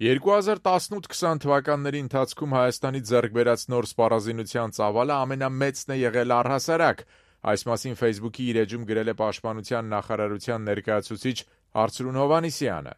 2018-20 թվականների ընթացքում Հայաստանի ձեռք բերած նոր սպառազինության ծավալը ամենամեծն է եղել առհասարակ, այս մասին Facebook-ի իր էջում գրել է Պաշտպանության նախարարության ներկայացուցիչ Արծրուն Հովհաննիսյանը։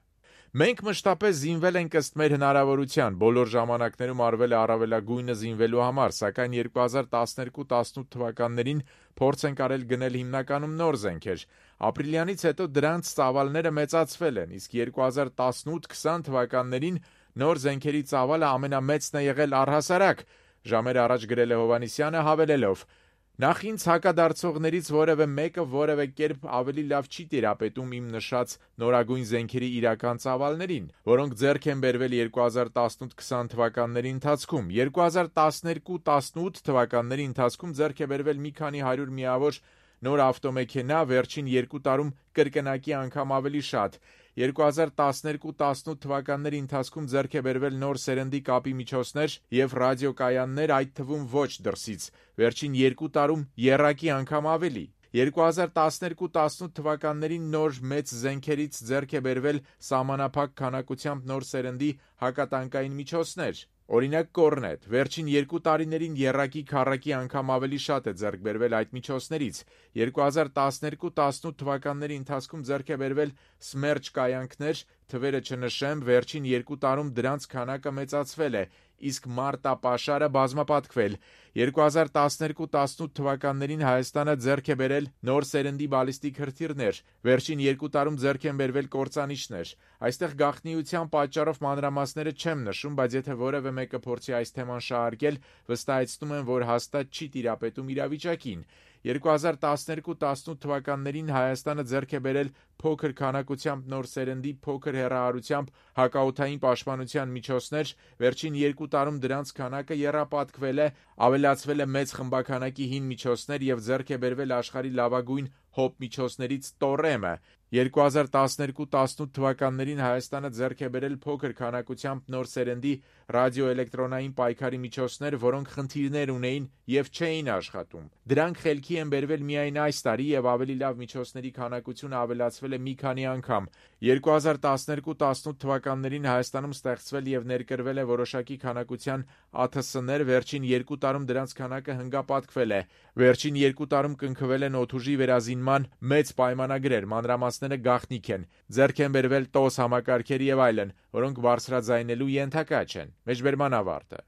Մենք մշտապես զինվել ենք ըստ մեր հնարավորության, բոլոր ժամանակներում արվել է առավելագույնը զինվելու համար, սակայն 2012-18 թվականներին փորձ ենք արել գնել հիմնականում նոր զենքեր։ Ապրիլյանից հետո դրանց ծավալները մեծացվել են, իսկ 2018-20 թվականներին նոր զենքերի ծավալը ամենամեծն է եղել առհասարակ, ժամեր առաջ գրել է Հովհաննիսյանը հավելելով. Նախ ինձ հակադարձողներից որևէ մեկը որևէ կերպ ավելի լավ չի տիրապետում իմ նշած նորագույն զենքերի իրական ծավալներին, որոնք ձեռք են բերվել 2018-20 թվականների ընթացքում։ 2012-18 թվականների ընթացքում ձեռք է բերվել մի քանի հարյուր միավոր նոր ավտոմեքենա, վերջին 2 տարում կրկնակի անգամ ավելի շատ։ 2012-18 թվականների ընթացքում ձեռք է բերվել նոր սերնդի կապի միջոցներ և ռադիոկայաններ, այդ թվում ոչ դրսից, վերջին 2 տարում եռակի անգամ ավելի։ 2012-18 թվականներին նոր մեծ զենքերից ձեռք է բերվել սահմանափակ քանակությամբ նոր սերնդի հակատանկային միջոցներ։ Օրինակ կորնետ, վերջին 2 տարիներին եռակի քառակի անգամ ավելի շատ է ձեռք բերվել այդ միջոցներից։ 2012-18 թվականների ընթացքում ձեռք է բերվել Սմերջ կայանքներ, թվերը չնշեմ, վերջին 2 տարում դրանց քանակը մեծացվել է, իսկ մարտապաշարը բազմապատկվել։ 2012-18 թվականներին Հայաստանը ձեռք է բերել նոր սերնդի բալիստիկ հրթիռներ, վերջին 2 տարում ձեռք են բերվել կործանիչներ։ Այստեղ գաղտնիության պատճառով մանրամասները չեմ նշում, բայց եթե որևէ մեկը փորձի այս թեման շահարկել, վստահեցնում եմ, որ հաստատ չի տիրապետում իրավիճակին։ 2012-18 թվականներին Հայաստանը ձեռք է բերել փոքր քանակությամբ նոր սերնդի փոքր հեռահարությամբ հակաօդային պաշտպանության միջոցներ, վերջին 2 տարում դրանց քանակը եռապատկվել է, ավելացվել է մեծ խմբաքանակի հին միջոցներ և ձեռք է բերվել աշխարհի լավագույն հոբ միջոցներից Տորեմը։ 2012-18 թվականներին Հայաստանը ձեռք է բերել փոքր քանակությամբ նոր սերնդի ռադիոէլեկտրոնային պայքարի միջոցներ, որոնք խնդիրներ ունեին և չէին աշխատում։ Դրանք խելքի են բերվել միայն այս տարի և ավելի լավ միջոցների քանակությունը ավելացվել է մի քանի անգամ։ 2012-18 թվականներին Հայաստանում ստեղծվել և ներկրվել է որոշակի քանակության ԱԹՍ-ներ, վերջին 2 տարում դրանց քանակը հնգապատկվել է։ Վերջին 2 տարում կնքվել են օդուժի վերազինման մեծ պայմանագրեր, մանրամասները գաղտնիք են, ձեռք են բերվել ՏՕՍ համակարգեր և այլն, որոնք բարձրաձայնելու ենթակա չեն։ Մեջբերման ավարտը։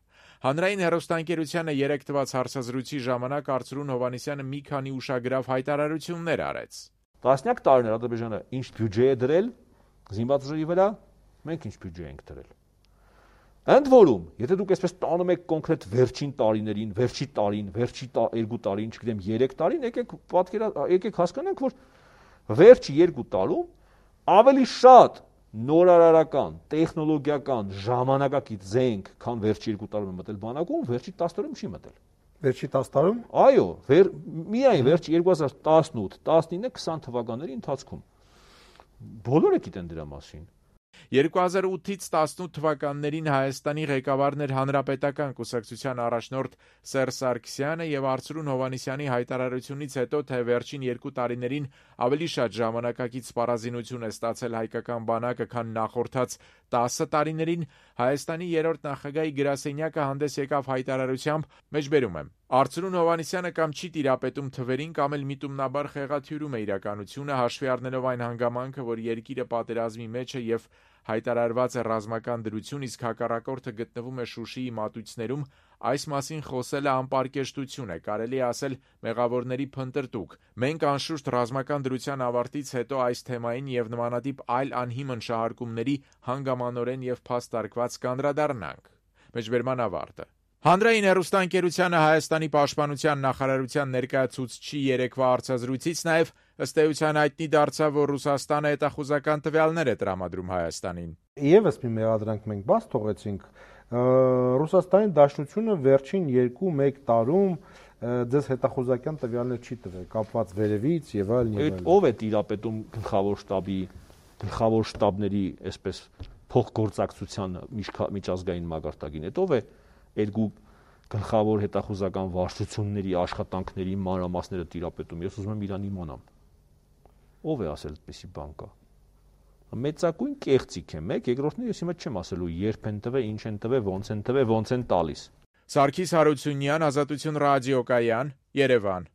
Հանրային հեռուստաընկերությանը 3 տված հարցազրույցի ժամանակ Արծրուն Հովհաննիսյանը մի քանի ուշագրավ հայտարարություններ արեց։ Տասնյակ տարիներ Ադրբեջանը ինչ բյուջե է դրել զինված ուժերի վրա, մենք ինչ բյուջե ենք դրել։ Ընդ որում, եթե դուք այսպես տանում եք կոնկրետ վերջին տարիներին, վերջի տարին, վերջի 2 տարին, չգիտեմ 3 տարին, եկեք հասկանանք, որ վերջի 2 տարում ավելի շատ նորարարական, տեխնոլոգիական, ժամանակակից զենք, քան վերջի 2 տարում է մտել բանակում, վերջի 10 տարում չի մտել։ Վերջի 10 տարում։ Այո, միայն վերջի 2018, 19, 20 թվականների ընթացքում։ Բոլորը գիտեն դրա մասին։ 2008-18 թվականներին Հայաստանի ղեկավարն էր Հանրապետական կուսակցության առաջնորդ Սերժ Սարգսյանը և Արծրուն Հովհաննիսյանի հայտարարությունից հետո, թե վերջին 2 տարիներին ավելի շատ ժամանակակից սպառազինություն է ստացել հայկական բանակը, քան նախորդած 10 տարիներին, Հայաստանի երրորդ նախագահի գրասենյակը հանդես եկավ հայտարարությամբ, մեջբերում եմ. Արծրուն Հովհաննիսյանը կամ չի տիրապետում թվերին, կամ էլ միտումնաբար խեղաթյուրում է իրականությունը, հաշվի առնելով այն հանգամանքը, որ երկիրը պատերազմի մեջ է և հայտարարված է ռազմական դրություն, իսկ հակառակորդը գտնվում է Շուշիի մատույցներում, այս մասին խոսելը անպարկեշտություն է, կարելի է ասել մեղավորների փնտրտուք։ Մենք անշուշտ ռազմական դրության ավարտից հետո այս թեմային և նմանատիպ այլ անհիմն շահարկումների հանգամանորեն և փաստարկված կանդրադառնանք։ Մեջբերման ավարտը։ Հանրային հեռուստաընկերությանը Հայաստանի պաշտպանության նախարարության ներկայացուցչի երեկվա հարցազրույցից նաև ըստ էության հայտնի դարձավ, որ Ռուսաստանը հետախուզական տվյալներ է տրամադրում Հայաստանին։ Եվս մի մեղադրանք մենք բաց թողեցինք, Ռուսաստանի Դաշնությունը վերջին 2-1 տարում ձեզ հետախուզական տվյալներ չի տվել, կապված վերևից եւ այլն։ Այդ ով է տիրապետում գլխավոր շտաբների այսպես փոխգործակցության միջազգային մակարդակին, այդ ով է երկու գլխավոր հետախուզական վարչությունների աշխատանքների մանրամասները տիրապետում։ Ես ուզում եմ իրան իմանամ։ Ով է ասել այդպիսի բան կա։ մեծակույն կեղծիք է մեկ, երկրորդն ես հիմա չեմ ասելու երբ են տվել, ինչ են տվել, ոնց են տվել, ոնց են տալիս։ Սարգիս Հարությունյան, Ազատություն ռադիոկայան, Երևան։